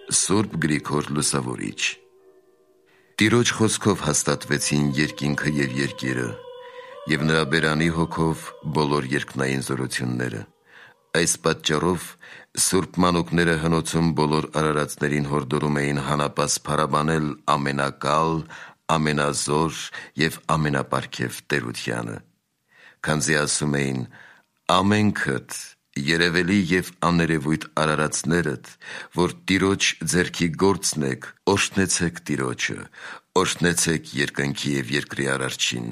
Սուրբ Գրիգոր Լուսավորիչ։ Տիրոջ խոսքով հաստատվեցին երկինքը և երկիրը, և նրա բերանի հոգով բոլոր երկնային զորությունները։ Այս պատճառով սուրբ մանուկները հնոցում բոլոր արարածներին հորդորում էին հանապաս փարաբանել ամենակալ, ամենազոր և ամենապարգև տերությանը, քանզի ասում էին. «Ամենքդ երևելի և աներևույթ արարածներդ, որ Տիրոջ ձեռքի գործն եք, օրհնեցեք Տիրոջը, օրհնեցեք երկնքի և երկրի Արարչին»։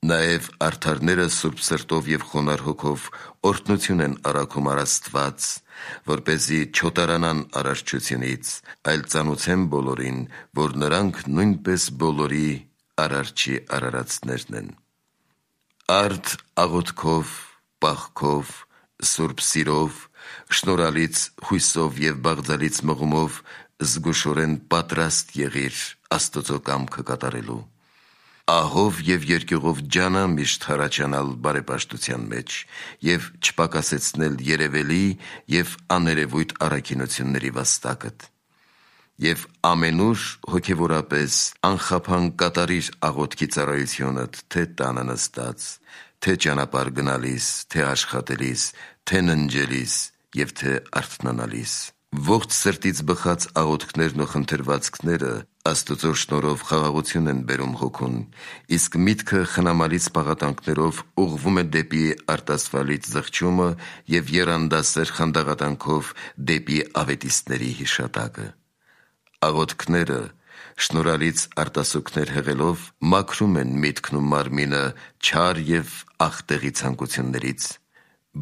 Նաև արդարները սուրբ սրտով և խոնարհ հոգով օրհնություն են առաքում առ Աստված, որպեսզի չոտարանան արարչությունից, այլ ծանուցեն բոլորին, որ նրանք նույնպես բոլորի Արարչի արարածներն են։ Արդ աղոթքով, պաղքով, սուրբ սիրով, շնորհալից հույսով և բաղձալից մղումով զգուշորեն պատրաստ եղիր Աստծո կամքը կատարելու։ Ահով և երկյուղով ջանա միշտ հառաջանալ բարեպաշտության մեջ և չպակասեցնել երևելի և աներևույթ առաքինությունների վաստակդ։ Եվ ամենուր հոգևորապես անխափան կատարիր աղոթքի ծառայությունդ, թե տանը նստած, թե ճանապարհ գնալիս, թե աշխատելիս, թե ննջելիս և թե արթնանալիս։ Ողջ սրտից բխած աղոթքներն ու խնդրվածքները Աստծո շնորհով խաղաղություն են բերում հոգուն, իսկ միտքը խնամալից պաղատանքներով ուղղվում է դեպի արտասվալից զղջումը և եռանդասեր խանդաղատանքով դեպի ավետիստների հիշատակը։ Աղոթքները շնորհալից արտասուքներ հղելով մաքրում են միտքն ու մարմինը չար և աղտեղի ցանկություններից։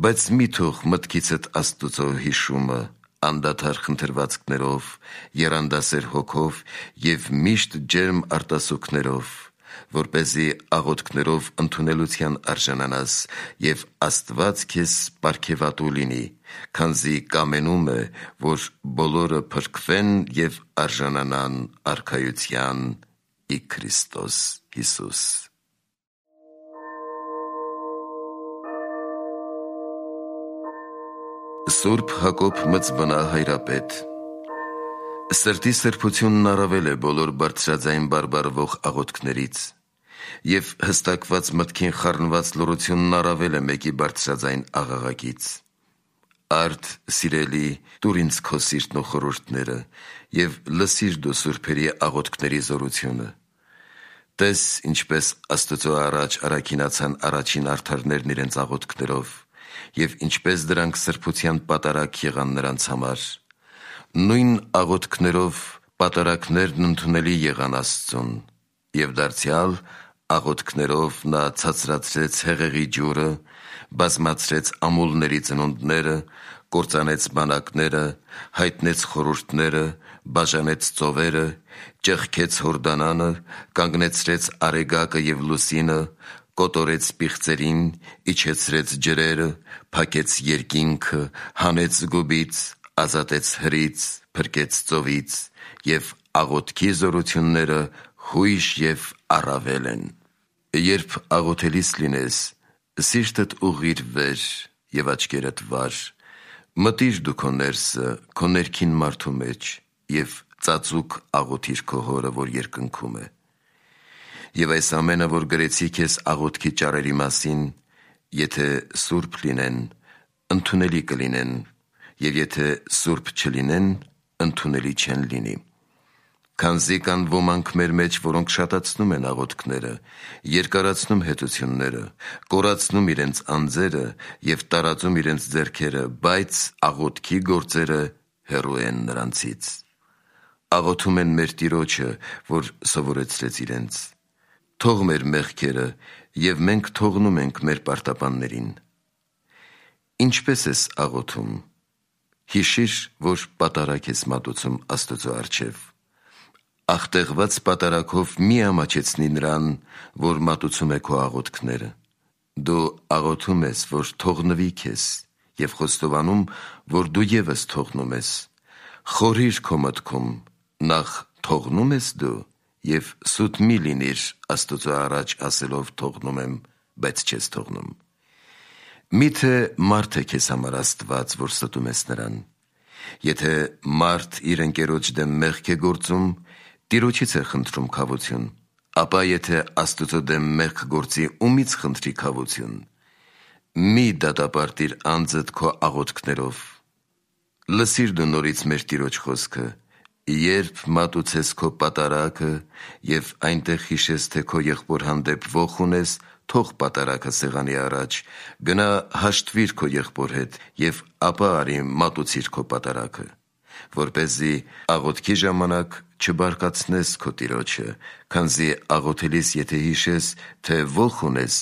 Բայց մի թող մտքիցդ Աստուծո հիշումը անդադար խնդրվածքներով, եռանդասեր հոգով և միշտ ջերմ արտասուքներով, որպեսզի աղոթքներով ընդունելության արժանանաս և Աստված քեզ պարգևատու լինի, քանզի կամենում է, որ բոլորը փրկվեն և արժանանան արքայության ի Քրիստոս Հիսուս։ Սուրբ Հակոբ Մծբնա հայրապետ։ Սրտի սրբությունն առավել է բոլոր բարձրաձայն բարբառվող աղոթքներից, և հստակված մտքին խառնված լռությունն առավել է մեկի բարձրաձայն աղաղակից։ Արդ, սիրելի, տուր ինձ քո սիրտն ու խորհուրդները և լսիր դու սուրբերի աղոթքների զորությունը։ Տես, ինչպես Աստծո առաջ առաքինացան առաջին արդարներն իրենց աղոթքներով, և ինչպես դրանք սրբության պատարագ եղան նրանց համար։ Նույն աղոթքներով պատարագներն ընդունելի եղան Աստծուն, և դարձյալ աղոթքներով նա ցածրացրեց հեղեղի ջուրը, բազմացրեց ամուլների ծնունդները, կործանեց բանակները, հայտնեց խորհուրդները, բաժանեց ծովերը, ճեղքեց Հորդանանը, կանգնեցրեց Արեգակը և Լուսինը, կոտորեց պիղծերին, իջեցրեց ջրերը, փակեց երկինքը, հանեց գուբից, ազատեց հրից, փրկեց ծովից, և աղոթքի զորությունները հույժ և առավել են։ Երբ աղոթելիս լինես, սիրտդ ուղղիր վեր և աչքերդ վար, մտիր դու քո ներսը, քո ներքին մարդու մեջ և ծածուկ աղոթիր քո Հորը, որ երկնքում է։ Եվ այս ամենը, որ գրեցի քեզ աղոթքի ճառերի մասին, եթե սուրբ լինեն, ընդունելի կլինեն, և եթե սուրբ չլինեն, ընդունելի չեն լինի։ Քանզի կան ոմանք մեր մեջ, որոնք շատացնում են աղոթքները, երկարացնում հետությունները, կորացնում իրենց անձերը և տարածում իրենց ձեռքերը, բայց աղոթքի գործերը հեռու են նրանցից։ Աղոթում են մեր Տիրոջը, որ սովորեցրեց իրենց։ Թող մեր մեղքերը, և մենք թողնում ենք մեր պարտապաններին։ Ինչպե՞ս ես աղոթում։ Հիշիր, որ պատարագ ես մատուցում Աստծո առջև։ Աղտեղված պատարագով մի ամաչեցնի նրան, որ մատուցում է քո աղոթքները։ Դու աղոթում ես, որ թողնվի քեզ, և խոստովանում, որ դու ևս թողնում ես։ Խորհիր քո մտքում, նախ թողնո՞ւմ ես դու, և սուտ մի լինիր Աստծո առաջ ասելով թողնում եմ, բայց չես թողնում։ Միթե մարդ է քեզ համար Աստված, որ ստում ես նրան։ Եթե մարդ իր ընկերոջ դեմ մեղք է գործում, Տիրոջից է խնդրում քավություն, ապա եթե Աստծո դեմ մեղք գործի, ումից խնդրի քավություն։ Մի դատապարտիր անձդ քո աղոթքներով։ Լսիր դու նորից մեր Տիրոջ խոսքը, երբ մատուցես քո պատարագը և այնտեղ հիշես, թե քո եղբոր հանդեպ ոխ ունես, թող պատարագը սեղանի առաջ, գնա հաշտվիր քո եղբոր հետ և ապա արի մատուցիր քո պատարագը, որպեսզի աղոթքի ժամանակ չբարկացնես քո Տիրոջը, քանզի աղոթելիս եթե հիշես, թե ոխ ունես,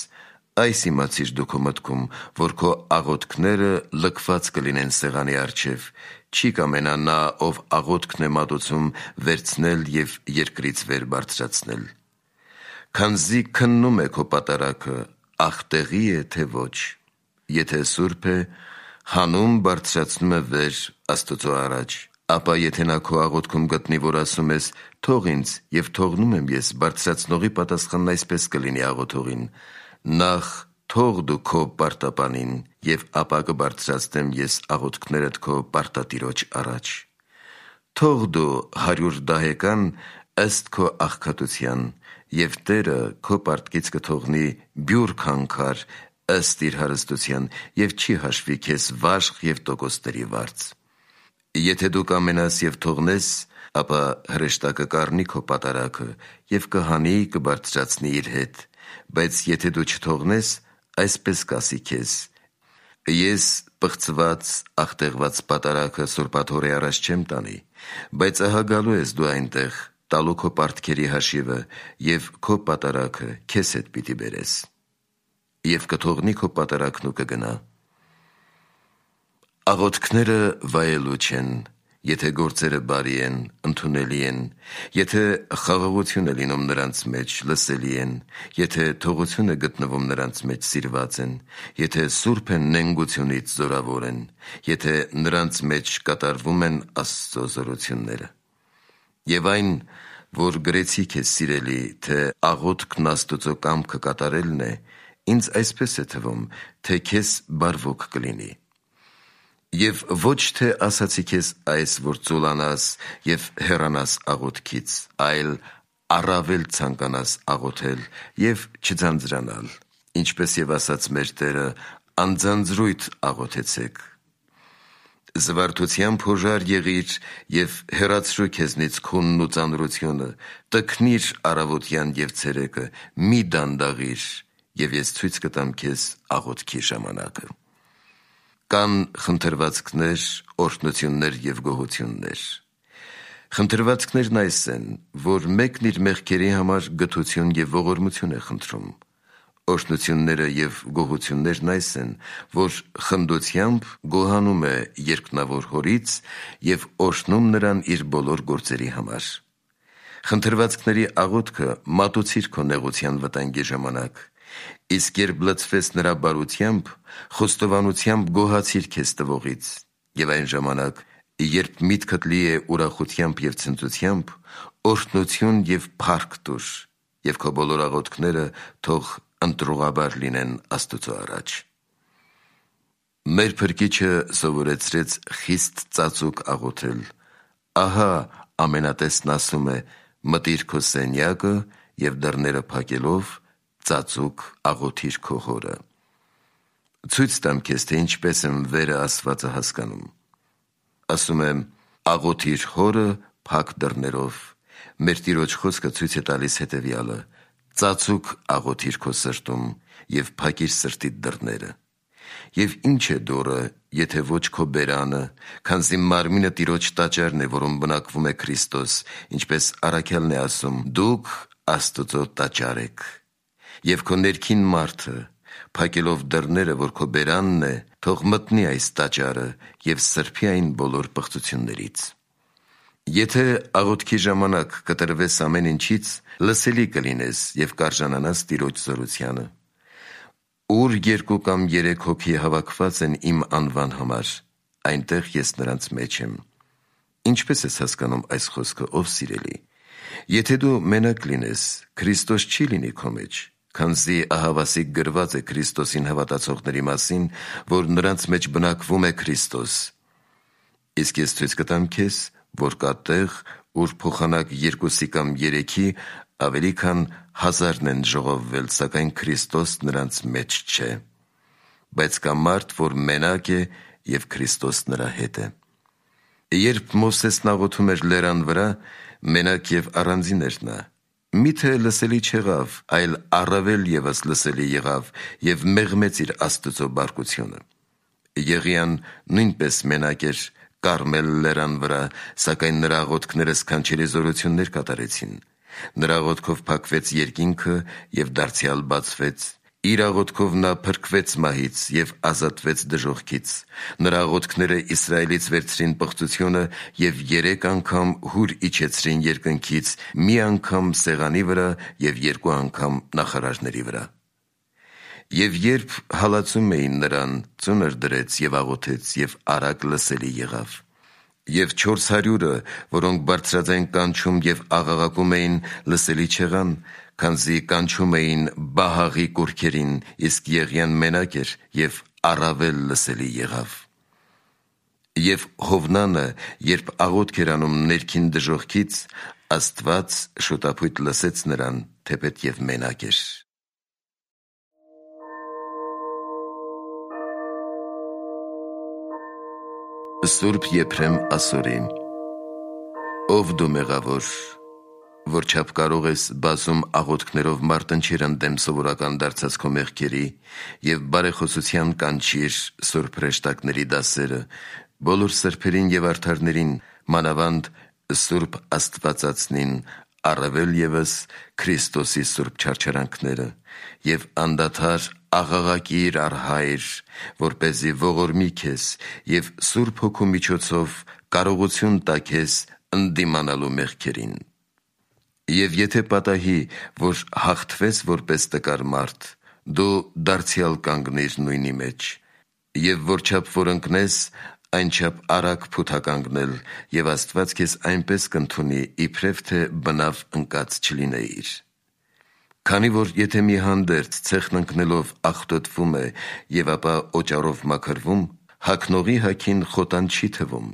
այս իմացիր դու քո մտքում, որ քո աղոթքները լքված կլինեն սեղանի առջև, չի կամենա նա, ով աղոթքն է մատուցում, վերցնել և երկրից վեր բարձրացնել։ Քանզի քննում է քո պատարագը, ախտեղի է, թե ոչ, եթե սուրբ է, հանում բարձրացնում է վեր Աստծո առաջ, ապա եթե նա քո աղոթքում գտնի, որ ասում ես, թող ինձ և թողնում եմ ես, բարձրացնողի պատասխանն այսպես կլինի աղոթողին. նախ թող դու քո պարտապանին և ապա կբարձրացնեմ ես աղոթքներդ քո պարտատիրոջ առաջ։ Թող դու 100 դահեկան ըստ քո աղքատության, և Տերը քո պարտքից կթողնի բյուր քանքար ըստ իր հարստության և չի հաշվի քեզ վաշխ և տոկոսների վարձ։ Եթե դու կամենաս և թողնես, ապա հրեշտակը կառնի քո պատարագը և կհանի, կբարձրացնի իր հետ, բայց եթե դու չթողնես, այսպես կասի քեզ. ես պղծված, ախտեղված պատարագը սուրբաթոռի առաջ չեմ տանի, բայց ահա գալու ես դու այնտեղ, տալու քո պարտքերի հաշիվը և քո պատարագը քեզ հետ պիտի բերես։ Եվ կթողնի քո պատարագն ու կգնա։ Աղոթքները վայելուչ են, եթե գործերը բարի են, ընդունելի են, եթե խաղաղություն է լինում նրանց մեջ, լսելի են, եթե թողություն է գտնվում նրանց մեջ, սիրված են, եթե սուրբ են, նենգությունից զորավոր են, եթե նրանց մեջ կատարվում են Աստծո զորությունները։ Եվ այն, որ գրեցի քեզ սիրելի, թե աղոթքն Աստծո կամքը կատարելն է, ինձ այսպես է թվում, թե քեզ բարվոք կլինի։ Եվ ոչ թե ասացի քեզ այս, որ ծուլանաս և հեռանաս աղոթքից, այլ առավել ցանկանաս աղոթել և չձանձրանալ, ինչպես և ասաց մեր Տերը, անձանձրույթ աղոթեցեք։ Զվարթությամբ հոժար եղիր և հեռացրու քեզնից քունն ու ծանրությունը, տքնիր առավոտյան և ցերեկը, մի դանդաղիր, և ես ցույց կտամ քեզ աղոթքի ժամանակը։ Կան խնդրվածքներ, օրհնություններ և գոհություններ։ Խնդրվածքներն այս են, որ մեկն իր մեղքերի համար գթություն և ողորմություն է խնդրում։ Օրհնությունները և գոհություններն այս են, որ խնդությամբ գոհանում է երկնավոր Հորից և օրհնում նրան իր բոլոր գործերի համար։ Խնդրվածքների աղոթքը մատուցիր քո նեղության վտանգի ժամանակ, իսկ երբ լցվես նրա բարությամբ, խոստովանությամբ գոհացիր քեզ տվողից, և այն ժամանակ, երբ միտքդ լի է ուրախությամբ և ցնծությամբ, օրհնություն և փառք տուր, և քո բոլոր աղոթքները թող ընտրուղաբար լինեն Աստծո առաջ։ Մեր Փրկիչը սովորեցրեց խիստ ծածուկ աղոթել։ Ահա ամենատեսն ասում է. մտիր քո սենյակը և դռները փակելով, ծածուկ աղոթիր քո Հորը։ Ցույց տամ քեզ, թե ինչպես եմ վերը ասվածը հասկանում։ Ասում եմ. աղոթիր Հորը փակ դռներով։ Մեր Տիրոջ խոսքը ցույց է տալիս հետևյալը. ծածուկ աղոթիր քո սրտում և փակիր սրտիդ դռները։ Եվ ինչ է դուռը, եթե ոչ քո բերանը, քանզի մարմինը Տիրոջ տաճարն է, որում բնակվում է Քրիստոս, ինչպես առաքյալն է ասում. դուք Աստծո տաճար եք։ Եվ քո ներքին մարդը, փակելով դռները, որ քո բերանն է, թող մտնի այս տաճարը և սրբի այն բոլոր պղծություններից։ Եթե աղոթքի ժամանակ կտրվես ամեն ինչից, լսելի կլինես և կարժանանաս Տիրոջ զորությանը։ Ուր 2 կամ 3 հոգի հավաքված են իմ անվան համար, այնտեղ ես նրանց մեջ եմ։ Ինչպես ես հասկանում այս խոսքը, ով սիրելի։ Եթե դու մենակ լինես, Քրիստոս չի լինի քո մեջ, քանզի ահավասիկ գրված է Քրիստոսին հավատացողների մասին, որ նրանց մեջ բնակվում է Քրիստոս։ Իսկ ես ցույց կտամ քեզ, որ կա տեղ, ուր փոխանակ 2-ի կամ 3-ի ավելի քան 1000 են ժողովվել, սակայն Քրիստոս նրանց մեջ չէ։ Բայց կա մարդ, որ մենակ է և Քրիստոս նրա հետ է։ Երբ Մովսեսն աղոթում էր լեռան վրա, մենակ և առանձին էր նա։ Միթե լսելի չեղավ, այլ առավել ևս լսելի եղավ և մեղմեց իր Աստծո բարկությունը։ Եղիան նույնպես մենակ էր Կարմել լեռան վրա, սակայն նրա աղոթքները սքանչելի զորություններ կատարեցին։ Նրա աղոթքով փակվեց երկինքը և դարձյալ բացվեց։ Իր աղոթքով նա փրկվեց մահից և ազատվեց դժոխքից։ Նրա աղոթքները Իսրայելից վերցրին պղծությունը և 3 անգամ հուր իջեցրին երկնքից, մի անգամ սեղանի վրա և 2 անգամ նախարարների վրա։ Եվ երբ հալածում էին նրան, ծունր դրեց և աղոթեց և արագ լսելի եղավ։ Եվ 400-ը, որոնք բարձրաձայն կանչում և աղաղակում էին, լսելի չեղան, քանզի կանչում էին Բահաղի կուռքերին, իսկ Եղիան մենակ էր և առավել լսելի եղավ։ Եվ Հովնանը, երբ աղոթք էր անում ներքին դժոխքից, Աստված շոտափույթ լսեց նրան, թեպետ և մենակ էր։ Սուրբ Եփրեմ Ասորի։ Ով դու մեղավոր, որչափ կարող ես բազում աղոթքներով մարտնչիր ընդդեմ սովորական դարձած քո մեղքերի և բարեխոսության կանչիր սուրբ հրեշտակների դասերը, բոլոր սրբերին և արդարներին, մանավանդ Սուրբ Աստվածածնին, առավել ևս Քրիստոսի սուրբ չարչարանքները, և անդադար աղաղակիր առ Հայր, որպեսզի ողորմի քեզ և Սուրբ Հոգու միջոցով կարողություն տա քեզ ընդդիմանալու մեղքերին։ Եվ եթե պատահի, որ հաղթվես որպես տկար մարդ, դու դարձյալ կանգնիր նույնի մեջ, և որչափ որ ընկնես, այնչափ արագ փութականգնել, և Աստված քեզ այնպես կընդունի, իբրև թե բնավ ընկած չլինեիր։ Քանի որ եթե մի հանդերձ ցեխն ընկնելով աղտոտվում է և ապա օճառով մաքրվում, հագնողի հագին խոտան չի թվում,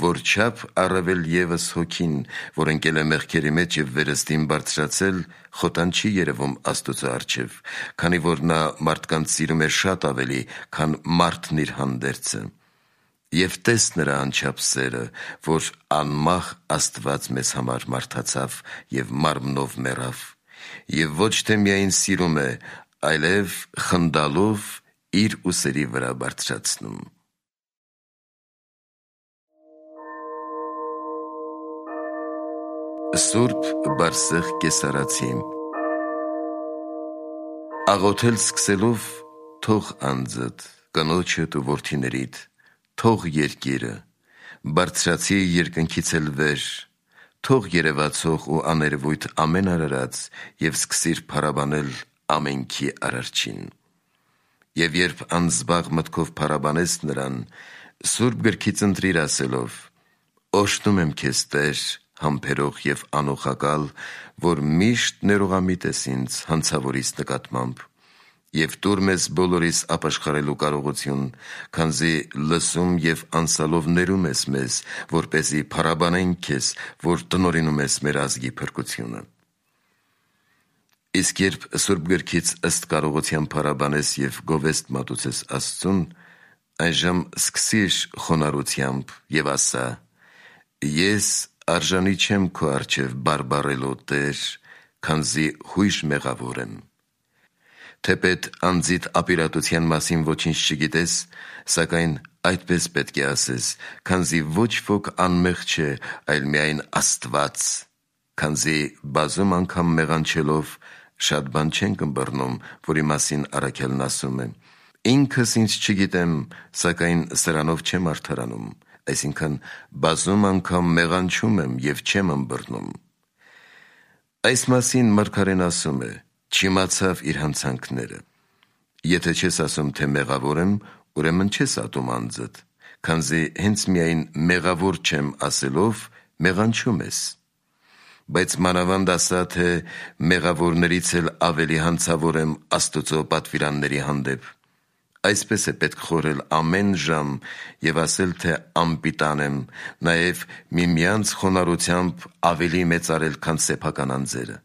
որչափ առավել ևս հոգին, որ ընկել է մեղքերի մեջ և վերստին բարձրացել, խոտան չի երևում Աստծո առջև, քանի որ նա մարդկանց սիրում է շատ ավելի, քան մարդն իր հանդերձը։ Եվ տես նրա անչափ սերը, որ անմահ Աստված մեզ համար մարդացավ և մարմնով մեռավ, և ոչ թե միայն սիրում է, այլև խնդալով իր ուսերի վրա բարձրացնում։ Սուրբ Բարսեղ Կեսարացի։ Աղոթել սկսելով թող անձդ, կնոջդ ու որդիներիդ, թող երկիրը, բարձրացի երկնքից էլ վեր, թող երևացող ու աներևույթ ամեն արարած և սկսիր փառաբանել ամենքի Արարչին։ Եվ երբ անզբաղ մտքով փառաբանես նրան, Սուրբ գրքից ընտրիր ասելով. «Օրհնում եմ քեզ, Տեր, համբերող և անոխակալ, որ միշտ ներողամիտ ես ինձ հանցավորիս նկատմամբ, և տուր մեզ բոլորիս ապաշխարելու կարողություն, քանզի լսում և անսալով ներում ես մեզ, որպեսզի փառաբանենք քեզ, որ տնօրինում ես մեր ազգի փրկությունը»։ Իսկ երբ Սուրբ գրքից ըստ կարողության փառաբանես և գովեստ մատուցես Աստծուն, այժմ սկսիր խոնարհությամբ և ասա. «Ես արժանի չեմ քո առջև բարբառելու, Տեր, քանզի հույժ մեղավոր եմ»։ Թեպետ անձիդ ապիրատության մասին ոչինչ չգիտես, սակայն այդպես պետք է ասես, քանզի ոչ ոք անմեղ չէ, այլ միայն Աստված, քանզի բազում անգամ մեղանչելով շատ բան չենք ըմբռնում, որի մասին առաքյալն ասում է. «Ինքս ինձ չգիտեմ, սակայն սրանով չեմ արդարանում», այսինքն բազում անգամ մեղանչում եմ և չեմ ըմբռնում։ Այս մասին մարգարեն ասում է. «Չիմացավ իր հանցանքները»։ Եթե չես ասում, թե մեղավոր եմ, ուրեմն չես ատում անձդ, քանզի հենց միայն մեղավոր չեմ ասելով մեղանչում ես։ Բայց մանավանդ ասա, թե մեղավորներից էլ ավելի հանցավոր եմ Աստծո պատվիրանների հանդեպ, Այսպես է պետք խորել ամեն ժամ և ասել, թե անպիտան եմ, նաև միմյանց խոնարհությամբ ավելի մեծարել, քան սեփական անձերը։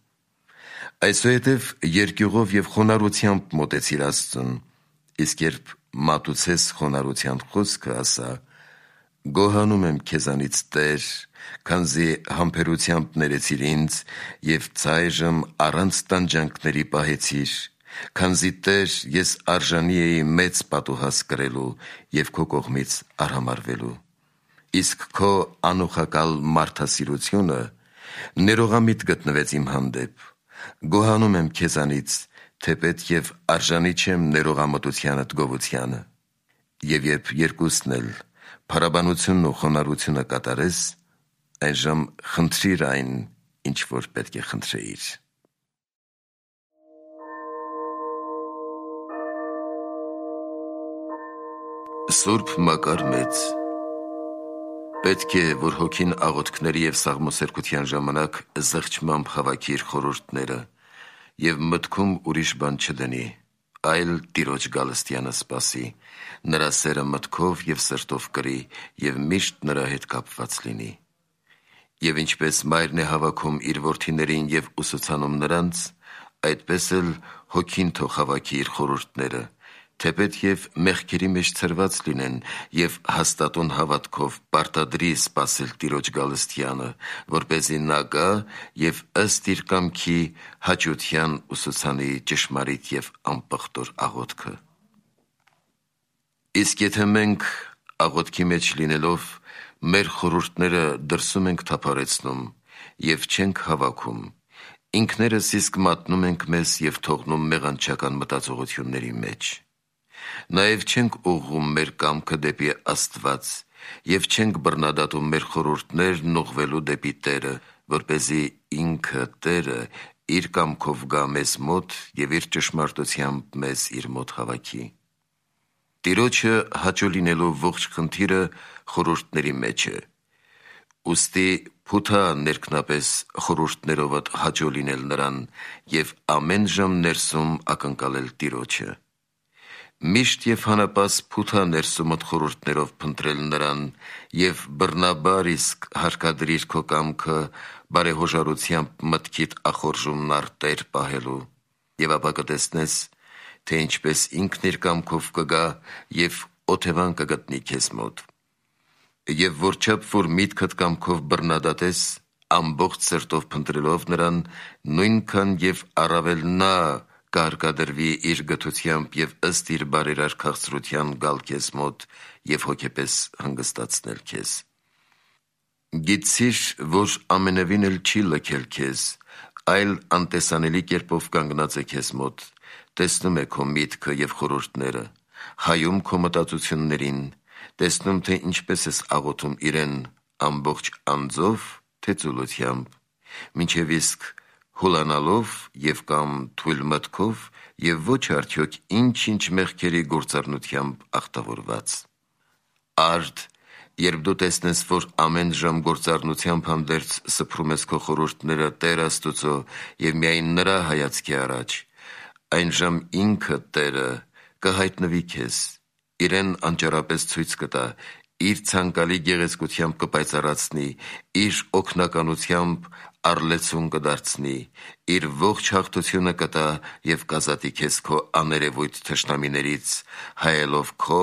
Այսուհետև երկյուղով և խոնարհությամբ մոտեցիր Աստծուն, իսկ երբ մատուցես խոնարհության խոսքը, ասա. «Գոհանում եմ քեզանից, Տեր, քանզի համբերությամբ ներեցիր ինձ և ծայրմ առանց տանջանքների պահեցիր, քանզի, Տեր, ես արժանի էի մեծ պատուհաս կրելու և քո կողմից արհամարհվելու։ Իսկ քո անուխակալ մարդասիրությունը ներողամիտ գտնվեց իմ հանդեպ։ Գոհանում եմ քեզանից, թեպետ և արժանի չեմ ներողամտությանդ գովությանը։ Եվ երբ երկուսն էլ, փառաբանությունն ու խոնարհությունը կատարես, այժմ խնդրիր այն, ինչ որ պետք է խնդրեիր»։ Սուրբ Մակար Մեծ Պետք է, որ հոգին աղոթքների և սաղմոսերգության ժամանակ զղջմամբ հավաքի իր խորհուրդները և մտքում ուրիշ բան չդնի, այլ Տիրոջ գալստյանը սպասի, նրա սերը մտքով և սրտով կրի և միշտ նրա հետ կապված լինի։ Եվ ինչպես մայրն է հավաքում իր որդիներին և ուսուցանում նրանց, այդպես էլ հոգին թող հավաքի իր խորհուրդները, թեպետ և մեղքերի մեջ ցրված լինեն, և հաստատուն հավատքով պարտադրի սպասել Տիրոջ գալստյանը, որպեսզի նա գա և ըստ իր կամքի հաճության ուսուցանի ճշմարիտ և անպղտոր աղոթքը։ Իսկ եթե մենք աղոթքի մեջ լինելով մեր խորհուրդները դրսում ենք թափառեցնում և չենք հավաքում, ինքներս իսկ մատնում ենք մեզ և թողնում մեղանչական մտածողությունների մեջ։ Նաև չենք ուղղում մեր կամքը դեպի Աստված և չենք բռնադատում մեր խորհուրդներն ուղղվելու դեպի Տերը, որպեսզի ինքը Տերը իր կամքով գա մեզ մոտ և իր ճշմարտությամբ մեզ իր մոտ հավաքի։ Տիրոջը հաճո լինելու ողջ խնդիրը խորհուրդների մեջ է։ Ուստի փութա ներքնապես խորհուրդներովդ հաճո լինել նրան և ամեն ժամ ներսում ակնկալել Տիրոջը։ Միշտ և հանապաս փութա ներսումդ խորհուրդներով փնտրել նրան և բռնաբար իսկ հարկադրիր քո կամքը բարեհոժարությամբ մտքիդ ախորժումն առ Տեր պահելու, և ապա կտեսնես, թե ինչպես ինքն իր կամքով կգա և օթևան կգտնի քեզ մոտ։ Եվ որչափ որ միտքդ կամքով բռնադատես, ամբողջ սրտով փնտրելով նրան, նույնքան և առավել նա կհարկադրվի իր գթությամբ և ըստ իր բարերար քաղցրության գալ քեզ մոտ և հոգեպես հանգստացնել քեզ։ Գիտցիր, որ ամենևին էլ չի լքել քեզ, այլ անտեսանելի կերպով կանգնած է քեզ մոտ, տեսնում է քո միտքը և խորհուրդները, հայում քո մտածություններին, տեսնում, թե ինչպես ես աղոթում իրեն, ամբողջ անձով, թե ծուլությամբ, մինչև իսկ հուլանալով և կամ թույլ մտքով և ոչ արդյոք ինչ-ինչ մեղքերի գործառնությամբ ախտավորված։ Արդ, երբ դու տեսնես, որ ամեն ժամ գործառնությամբ հանդերձ սփռում ես քո խորհուրդները Տեր Աստուծո և միայն նրա հայացքի առաջ, այն ժամ ինքը Տերը կհայտնվի քեզ, իրեն անճարապես ցույց կտա, իր ցանկալի գեղեցկությամբ կպայծառացնի, իր օգնականությամբ առլեցուն կդարձնի, իր ողջ հաղթությունը կտա և կազատի քեզ քո աներևույթ թշնամիներից, հայելով քո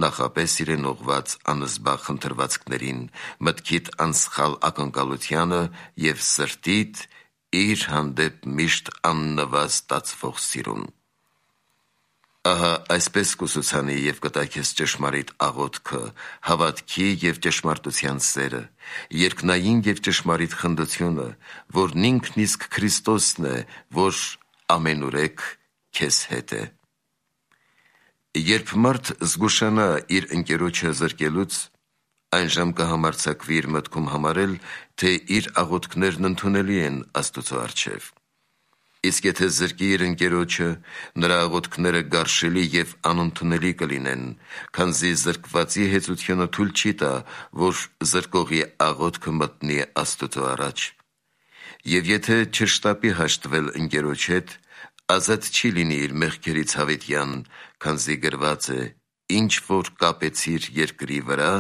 նախապես իրեն ուղղված անզբաղ խնդրվածքներին, մտքիդ անսխալ ակնկալությանը և սրտիդ իր հանդեպ միշտ աննվազ ստացվող սիրուն։ Ահա այսպես կուսուցանի և կտա քեզ ճշմարիտ աղոթքը, հավատքի և ճշմարտության սերը, երկնային և ճշմարիտ խնդությունը, որն ինքն իսկ Քրիստոսն է, որ ամենուրեք քեզ հետ է։ Երբ մարդ զգուշանա իր ընկերոջը զրկելուց, այն ժամ կհամարձակվի իր մտքում համարել, թե իր աղոթքներն ընդունելի են Աստուծո առջև։ Իսկ եթե զրկի իր ընկերոջը, նրա աղոթքները գարշելի և անընդունելի կլինեն, քանզի զրկվածի հեծությունը թույլ չի տա, որ զրկողի աղոթքը մտնի Աստուծո առաջ։ Եվ եթե չշտապի հաշտվել ընկերոջ հետ, ազատ չի լինի իր մեղքերից հավիտյան, քանզի գրված է. ինչ որ կապեցիր երկրի վրա,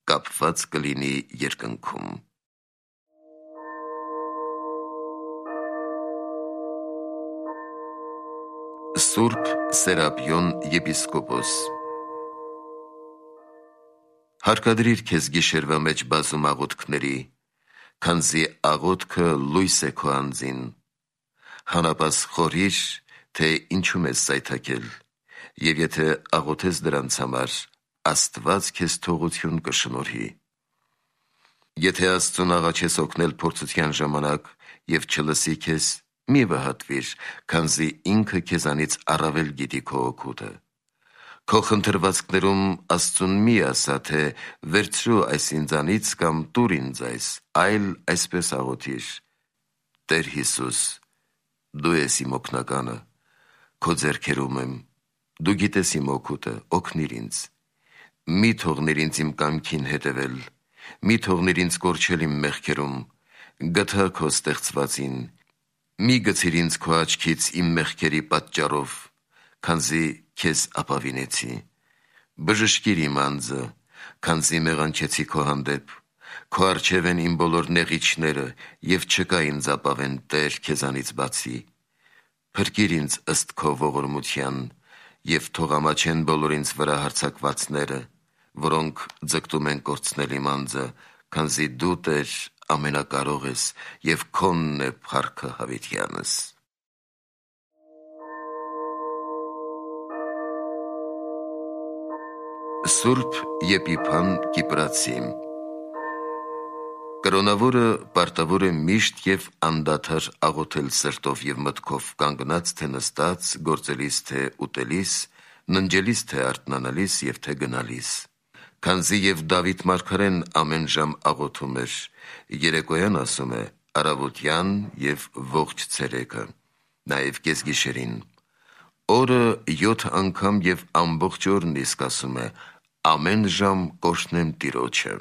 կապված կլինի երկնքում։ Սուրբ Սերապիոն եպիսկոպոս Հարկադրիր քեզ գիշերվա մեջ բազում աղոթքների, քանզի աղոթքը լույս է քո անձին, հանապաս խորհիր, թե ինչում ես սայթաքել, և եթե աղոթես դրանց համար, Աստված քեզ թողություն կշնորհի։ Եթե Աստծուն աղաչես օգնել փորձության ժամանակ և չլսի քեզ, մի վհատվիր, քանզի ինքը քեզանից առավել գիտի քո օգուտը։ Քո խնդրվածքներում Աստծուն մի ասա, թե վերցրու այս ինձանից կամ տուր ինձ այս, այլ այսպես աղոթիր. Տեր Հիսուս, դու ես իմ օգնականը, քո ձեռքերում եմ, դու գիտես իմ օգուտը, օգնիր ինձ։ Մի թողնիր ինձ իմ կամքին հետևել, մի թողնիր ինձ կորչել իմ մեղքերում, գթա քո ստեղծվածին, մի գցիր ինձ քո աչքից իմ մեղքերի պատճառով, քանզի քեզ ապավինեցի։ Բժշկիր իմ անձը, քանզի մեղանչեցի քո հանդեպ, քո առջև են իմ բոլոր նեղիչները և չկա ինձ ապավեն Տեր քեզանից բացի։ Փրկիր ինձ ըստ քո ողորմության և թող ամաչեն բոլոր ինձ վրա հարձակվածները, որոնք ձգտում են կորցնել իմ անձը, քանզի դու Տեր ամենակարող ես և քոնն է փառքը հավիտյանս։ Սուրբ Եփիփան Կիպրացի Կրոնավորը պարտավոր է միշտ և անդադար աղոթել սրտով և մտքով, կանգնած թե նստած, գործելիս թե ուտելիս, ննջելիս թե արթնանալիս և թե գնալիս։ Քանզի և Դավիթ մարգարեն ամեն ժամ աղոթում էր, երեկոյան ասում է առավոտյան և ողջ ցերեկը, նաև կեսգիշերին։ Օրը 7 անգամ և ամբողջ օրն իսկ ասում է ամեն ժամ կօրհնեմ Տիրոջը։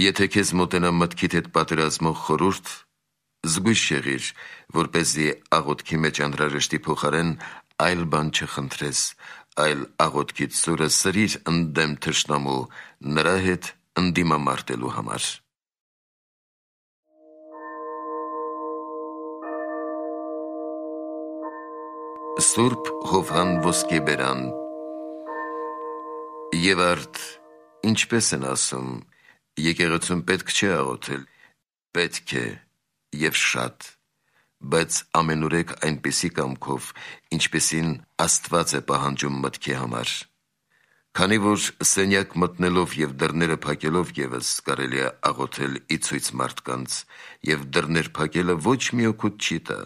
Եթե քեզ մոտենա մտքիդ հետ պատերազմող խորհուրդ, զգույշ եղիր, որպեսզի աղոթքի մեջ անհրաժեշտի փոխարեն այլ բան չխնդրես, այլ աղոթքիդ սուրը սրիր ընդդեմ թշնամու, նրա հետ ընդդիմամարտելու համար։ Սուրբ Հովհան Ոսկեբերան Եվ արդ, ինչպես են ասում, եկեղեցում պետք չէ աղոթել, պետք է և շատ, բայց ամենուրեք այնպիսի կամքով, ինչպիսին Աստված է պահանջում մտքի համար։ Քանի որ սենյակ մտնելով և դռները փակելով ևս կարելի է աղոթել ի ցույց մարդկանց, և դռներ փակելը ոչ մի օգուտ չի տա։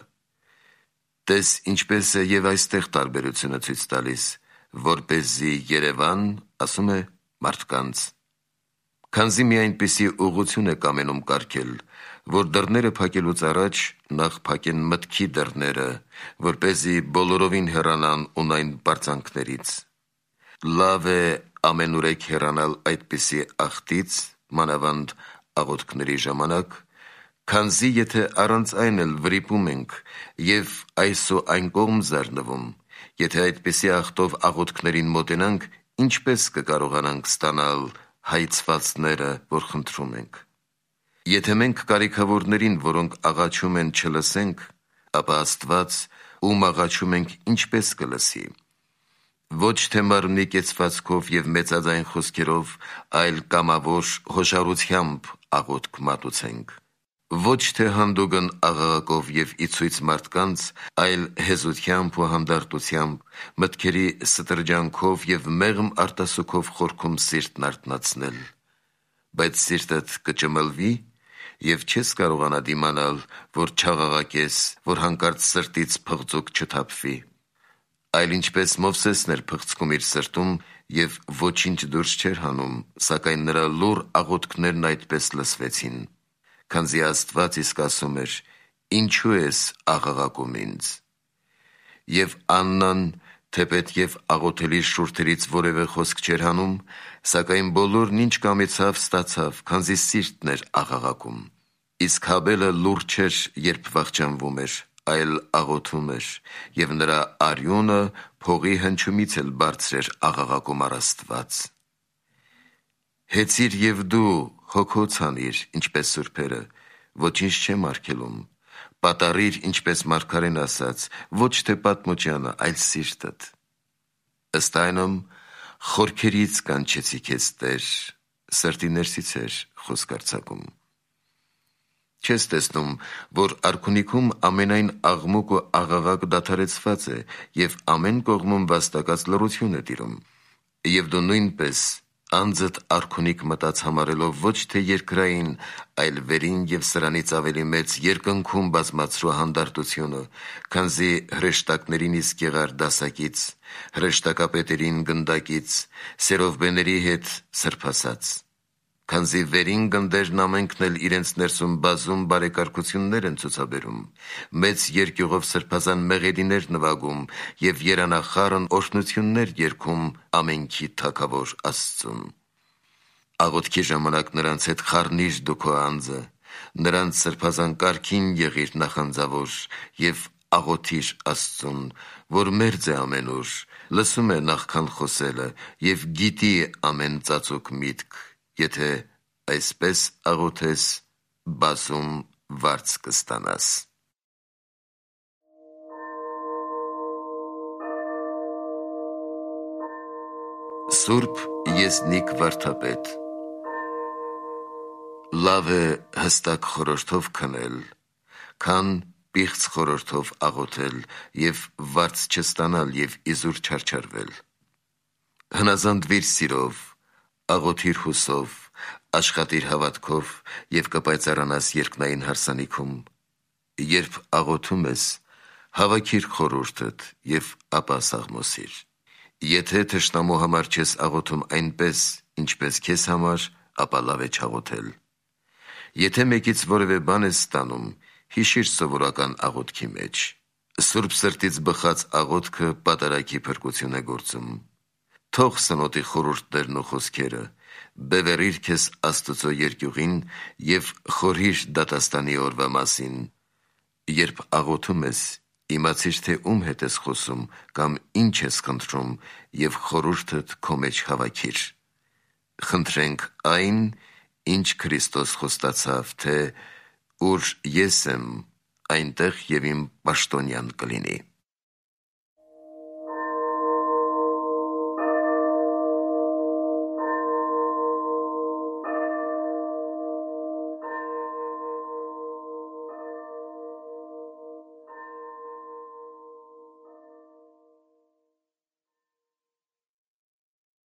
Տես ինչպես է և այստեղ տարբերությունը ցույց տալիս, որպեսզի Երևան, ասում է մարդկանց։ Քանզի մի այնպիսի ուղղություն է կամենում կարգել, որ դռները փակելուց առաջ նախ փակեն մտքի դռները, որպեսզի բոլորովին հեռանան ունայն պարծանքներից։ Լավ է ամենուրեք հեռանալ այդպիսի ախտից, մանավանդ աղոթքների ժամանակ, քանզի եթե առանց այն էլ վրիպում ենք և այս ու այն կողմ զարնվում, եթե այդպիսի ախտով աղոթքներին մոտենանք, ինչպես կկարողանանք ստանալ հայցվածները, որ խնդրում ենք։ Եթե մենք կարիքավորներին, որոնք աղաչում են, չլսենք, ապա Աստված, ում աղաչում ենք, ինչպես կլսի։ Ոչ թե մարմնի կեցվածքով և մեծաձայն խոսքերով, այլ կամավոր հոշարությամբ աղոթք մատուցենք։ Ոչ թե հանդուգն աղաղակով և ի ցույց մարդկանց, այլ հեզությամբ ու հանդարտությամբ, մտքերի ստրջանքով և մեղմ արտասուքով խորքում սիրտն արթնացնել։ Բայց սիրտդ կճմլվի և չես կարողանա դիմանալ, որ չաղաղակես, որ հանկարծ սրտից փղձուկ չթափվի։ Այլ ինչպես Մովսեսն էր փղձքում իր սրտում և ոչինչ դուրս չէր հանում, սակայն նրա լուռ աղոթքներն այդպես լսվեցին, քանզի Աստված իսկ ասում էր. «Ինչու ես աղաղակում ինձ»։ Եվ Աննան, թեպետ և աղոթելի շուրթերից որևէ խոսք չէր հանում, սակայն բոլորն ինչ կամեցավ, ստացավ, քանզի սիրտն էր աղաղակում։ Իսկ Հաբելը լուռ չէր, երբ վախճանվում էր, այլ աղոթում էր, և նրա արյունը փողի հնչումից էլ բարձր էր աղաղակում առ Աստված։ Հեծիր և դու հոգոց անիր, ինչպես սուրբերը, ոչինչ չեմ արգելում, պատառիր, ինչպես մարգարեն ասաց, ոչ թե պատմությանը, այլ սիրտդ։ Ըստ այնմ, խորքերից կանչեցի քեզ Տեր, սրտի ներսից էր խոսք արձակում։ Չես տեսնում, որ արքունիքում ամենայն աղմուկ ու աղաղակ դադարեցված է և ամեն կողմում վաստակած լռություն է տիրում, և դու նույնպես անձդ արքունիք մտած համարելով ոչ թե երկրային, այլ վերին և սրանից ավելի մեծ երկնքում բազմացրու հանդարտությունը, քանզի հրեշտակներին իսկ եղար դասակից, հրեշտակապետերին գնդակից, սերովբեների հետ սրբասած, քանզի վերին գնդերն ամենքն էլ իրենց ներսում բազում բարեկարգություններ են ցուցաբերում, մեծ երկյուղով սրբազան մեղեդիներ նվագում և երանախառն օրհնություններ երգում ամենքի Թագավոր Աստծուն։ Աղոթքի ժամանակ նրանց հետ խառնիր դու քո անձը, նրանց սրբազան կարգին եղիր նախանձավոր և աղոթիր Աստծուն, որ մերձ է ամենուր, լսում է նախքան խոսելը և գիտի ամեն ծածուկ միտք, եթե այսպես աղոթես, բազում վարձ կստանաս։ Սուրբ Եզնիկ վարդապետ։ Լավ է հստակ խորհրդով քնել, քան պիղծ խորհրդով աղոթել և վարձ չստանալ և իզուր չարչարվել։ Հնազանդվիր սիրով, աղոթիր հուսով, աշխատիր հավատքով և կպայծառանաս երկնային հարսանիքում։ Երբ աղոթում ես, հավաքիր խորհուրդդ և ապա սաղմոսիր։ Եթե թշնամու համար չես աղոթում այնպես, ինչպես քեզ համար, ապա լավ է չաղոթել։ Եթե մեկից որևէ բան ես ստանում, հիշիր սովորական աղոթքի մեջ։ Սուրբ սրտից բխած աղոթքը պատարագի փրկություն է գործում։ Թող սնոտի խորհուրդներն ու խոսքերը, բևեռիր քեզ Աստծո երկյուղին և խորհիր դատաստանի օրվա մասին։ Երբ աղոթում ես, իմացիր, թե ում հետ ես խոսում կամ ինչ ես խնդրում և խորհուրդդ քո մեջ հավաքիր։ Խնդրենք այն, ինչ Քրիստոս խոստացավ, թե «Ուր ես եմ, այնտեղ և իմ պաշտոնյան կլինի»։